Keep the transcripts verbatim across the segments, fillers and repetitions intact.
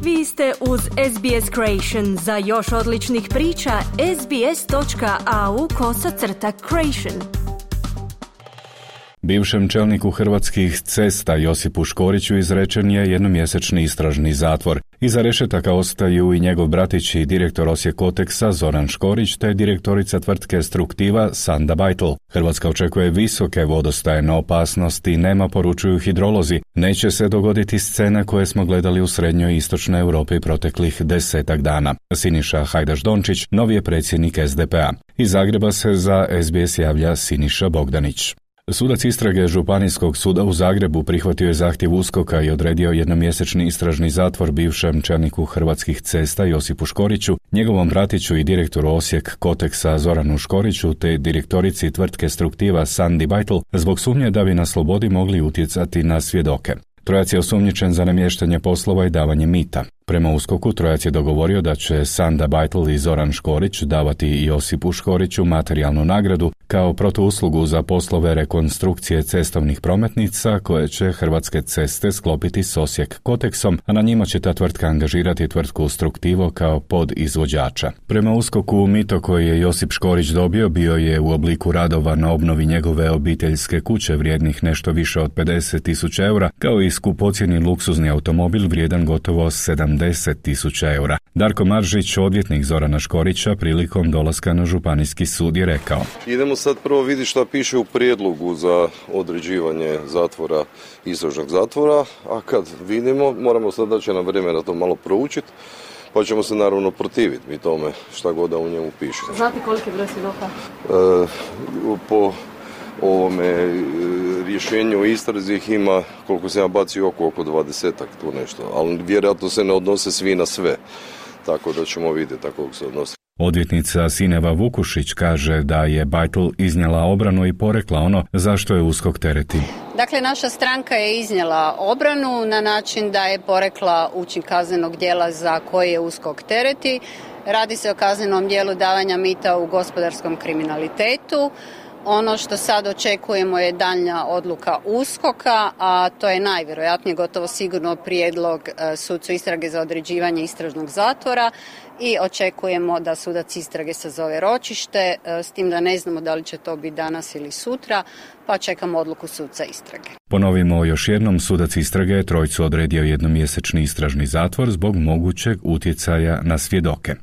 Vi ste uz S B S Creation. Za još odličnih priča, sbs.au kosacrta creation. Bivšem čelniku Hrvatskih cesta Josipu Škoriću izrečen je jednomjesečni istražni zatvor. Iza rešetaka ostaju i njegov bratić i direktor Osijek Koteksa Zoran Škorić te direktorica tvrtke Struktiva Sanda Bajtl. Hrvatska očekuje visoke vodostajne opasnosti, nema, poručuju hidrolozi. Neće se dogoditi scena koje smo gledali u srednjoj i istočnoj Europi proteklih desetak dana. Siniša Hajdaš Dončić, novi je predsjednik S D P A. Iz Zagreba se za S B S javlja Siniša Bogdanić. Sudac istrage Županijskog suda u Zagrebu prihvatio je zahtjev USKOK-a i odredio jednomjesečni istražni zatvor bivšem čelniku Hrvatskih cesta Josipu Škoriću, njegovom bratiću i direktoru Osijek Koteksa Zoranu Škoriću te direktorici tvrtke Struktiva Sandi Bajtl zbog sumnje da bi na slobodi mogli utjecati na svjedoke. Trojac je osumnjičen za namještanje poslova i davanje mita. Prema USKOK-u trojac je dogovorio da će Sanda Bajtl i Zoran Škorić davati Josipu Škoriću materijalnu nagradu kao protuuslugu za poslove rekonstrukcije cestovnih prometnica koje će Hrvatske ceste sklopiti s Osijek Koteksom, a na njima će ta tvrtka angažirati tvrtku Struktivo kao podizvođača. Prema USKOK-u mito koji je Josip Škorić dobio bio je u obliku radova na obnovi njegove obiteljske kuće vrijednih nešto više od pedeset tisuća eura, kao i skupocjeni luksuzni automobil vrijedan gotovo sedamdeset tisuća eura. Darko Maržić, odvjetnik Zorana Škorića, prilikom dolaska na Županijski sud je rekao: Idemo sad prvo vidjeti šta piše u prijedlogu za određivanje zatvora, istražnog zatvora, a kad vidimo, moramo sad daći na vremena to malo proučiti, pa ćemo se naravno protiviti mi tome šta god da u njemu piše. Znate koliki broj svjedoka? E, po ovome rješenju o istrazi ih ima, koliko se ja bacio oko, oko dvadesetak tu nešto, ali vjerojatno se ne odnose svi na sve, tako da ćemo vidjeti kako se odnose. Odvjetnica Sineva Vukušić kaže da je Bajtl iznijela obranu i porekla ono zašto je USKOK tereti. Dakle, naša stranka je iznijela obranu na način da je porekla učin kaznenog djela za koje je USKOK tereti. Radi se o kaznenom djelu davanja mita u gospodarskom kriminalitetu. Ono što sad očekujemo je daljnja odluka USKOK-a, a to je najvjerojatnije gotovo sigurno prijedlog sucu istrage za određivanje istražnog zatvora i očekujemo da sudac istrage sazove ročište, s tim da ne znamo da li će to biti danas ili sutra, pa čekamo odluku suca istrage. Ponovimo još jednom, sudac istrage je trojcu odredio jednomjesečni istražni zatvor zbog mogućeg utjecaja na svjedoke.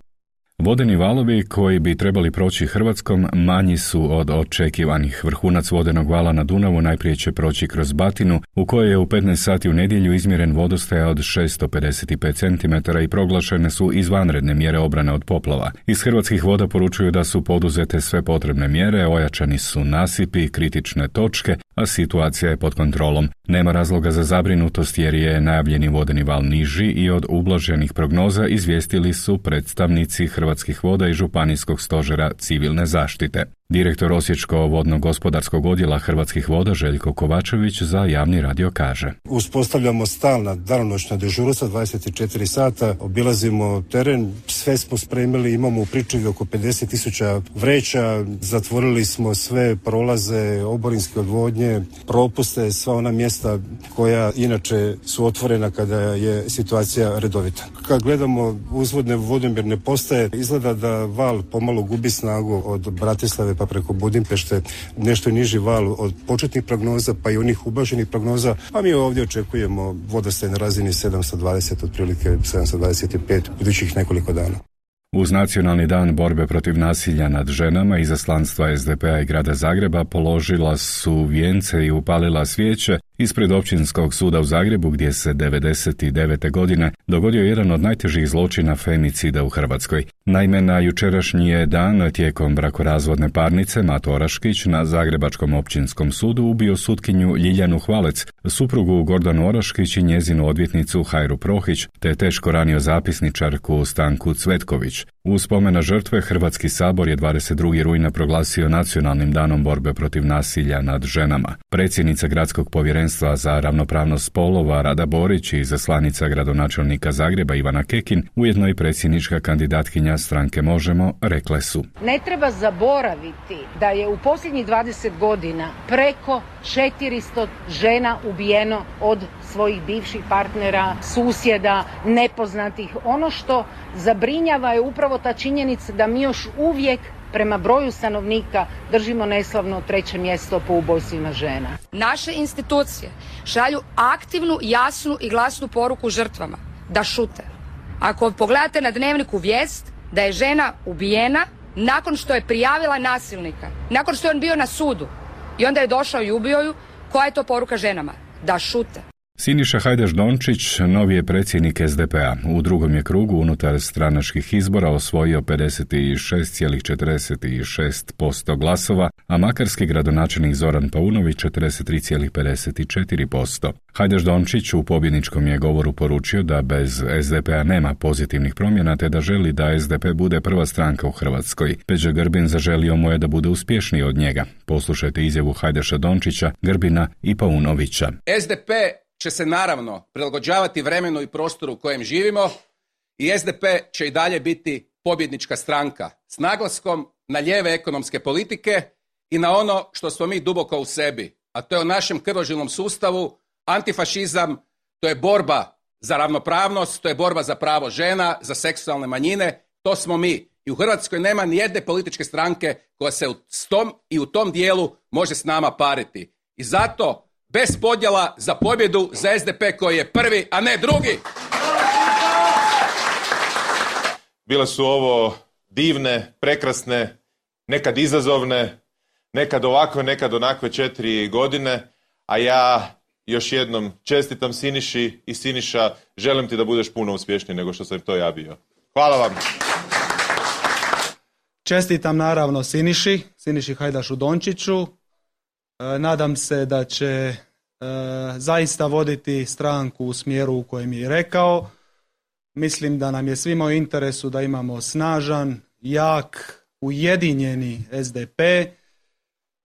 Vodeni valovi koji bi trebali proći Hrvatskom manji su od očekivanih. Vrhunac vodenog vala na Dunavu najprije će proći kroz Batinu, u kojoj je u petnaest sati u nedjelju izmjeren vodostaj od šesto pedeset pet centimetara i proglašene su izvanredne mjere obrane od poplava. Iz Hrvatskih voda poručuju da su poduzete sve potrebne mjere, ojačani su nasipi, kritične točke, a situacija je pod kontrolom. Nema razloga za zabrinutost jer je najavljeni vodeni val niži i od ublaženih prognoza izvijestili su predstavnici Hrvatskih voda i Županijskog stožera civilne zaštite. Direktor Osječko-vodno-gospodarskog odjela Hrvatskih voda Željko Kovačević za Javni radio kaže: Uspostavljamo stalna danonoćna dežurstva dvadeset četiri sata, obilazimo teren, sve smo spremili, imamo u pričuvi oko pedeset tisuća vreća, zatvorili smo sve prolaze, oborinske odvodnje, propuste, sva ona mjesta koja inače su otvorena kada je situacija redovita. Kad gledamo uzvodne vodomjerne postaje, izgleda da val pomalo gubi snagu od Bratislave pa preko Budimpešte, nešto niži val od početnih prognoza pa i onih ublaženih prognoza, a mi ovdje očekujemo vodostaj na razini sedamsto dvadeset, otprilike sedamsto dvadeset pet u idućih nekoliko dana. Uz Nacionalni dan borbe protiv nasilja nad ženama izaslanstva S D P A i grada Zagreba položila su vijence i upalila svijeće ispred Općinskog suda u Zagrebu gdje se devedeset devete godine dogodio jedan od najtežih zločina femicida u Hrvatskoj. Naime, na jučerašnji je dan tijekom brakorazvodne parnice Mato Oraškić na Zagrebačkom općinskom sudu ubio sutkinju Ljiljanu Hvalec, suprugu Gordanu Oraškić i njezinu odvjetnicu Hajru Prohić, te teško ranio zapisničarku Stanku Cvetković. U spomen na žrtve Hrvatski sabor je dvadeset drugog rujna proglasio Nacionalnim danom borbe protiv nasilja nad ženama. Predsjednica Gradskog povjerenstva za ravnopravnost spolova Rada Borić i izaslanica gradonačelnika Zagreba Ivana Kekin, ujedno i predsjednička kandidatkinja stranke Možemo, rekle su: Ne treba zaboraviti da je u posljednjih dvadeset godina preko četiristo žena ubijeno od svojih bivših partnera, susjeda, nepoznatih. Ono što zabrinjava je upravo ta činjenica da mi još uvijek prema broju stanovnika držimo neslavno treće mjesto po ubojstvima žena. Naše institucije šalju aktivnu, jasnu i glasnu poruku žrtvama da šute. Ako pogledate na Dnevniku vijest da je žena ubijena nakon što je prijavila nasilnika, nakon što je on bio na sudu i onda je došao i ubio ju, koja je to poruka ženama? Da šute. Siniša Hajdaš Dončić, novi je predsjednik es de pe a. U drugom je krugu unutar stranačkih izbora osvojio pedeset šest zarez četrdeset šest posto glasova, a makarski gradonačelnik Zoran Paunović četrdeset tri zarez pedeset četiri posto. Hajdaš Dončić u pobjedničkom je govoru poručio da bez es de pe a nema pozitivnih promjena te da želi da es de pe bude prva stranka u Hrvatskoj. Peđa Grbin zaželio mu je da bude uspješniji od njega. Poslušajte izjavu Hajdaša Dončića, Grbina i Paunovića. es de pe će se naravno prilagođavati vremenu i prostoru u kojem živimo i es de pe će i dalje biti pobjednička stranka s naglaskom na lijeve ekonomske politike i na ono što smo mi duboko u sebi, a to je u našem krvožilnom sustavu antifašizam, to je borba za ravnopravnost, to je borba za pravo žena, za seksualne manjine, to smo mi. I u Hrvatskoj nema ni jedne političke stranke koja se u tom i u tom dijelu može s nama pariti. I zato bez podjela za pobjedu za es de pe koji je prvi, a ne drugi. Bile su ovo divne, prekrasne, nekad izazovne, nekad ovakve, nekad onakve četiri godine, a ja još jednom čestitam Siniši i Siniša, želim ti da budeš puno uspješniji nego što sam to ja bio. Hvala vam. Čestitam naravno Siniši, Siniši Hajdašu Dončiću. E, nadam se da će e, zaista voditi stranku u smjeru u kojem je rekao. Mislim da nam je svima u interesu da imamo snažan, jak, ujedinjeni es de pe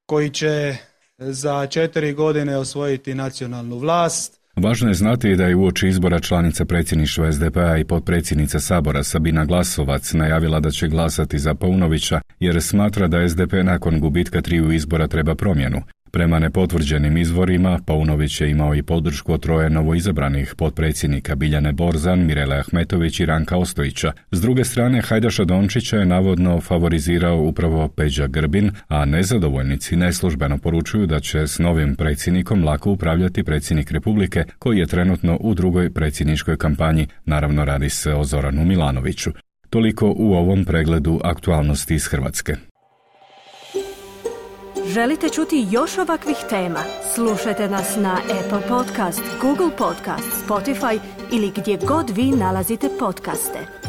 koji će za četiri godine osvojiti nacionalnu vlast. Važno je znati da je uoči izbora članica predsjedništva es de pe a i potpredsjednica Sabora Sabina Glasovac najavila da će glasati za Paunovića jer smatra da es de pe nakon gubitka triju izbora treba promjenu. Prema nepotvrđenim izvorima, Paunović je imao i podršku od troje novoizabranih potpredsjednika Biljane Borzan, Mirele Ahmetović i Ranka Ostojića. S druge strane, Hajdaša Dončića je navodno favorizirao upravo Peđa Grbin, a nezadovoljnici neslužbeno poručuju da će s novim predsjednikom lako upravljati predsjednik Republike, koji je trenutno u drugoj predsjedničkoj kampanji. Naravno, radi se o Zoranu Milanoviću. Toliko u ovom pregledu aktualnosti iz Hrvatske. Želite čuti još ovakvih tema? Slušajte nas na Apple Podcast, Google Podcast, Spotify ili gdje god vi nalazite podcaste.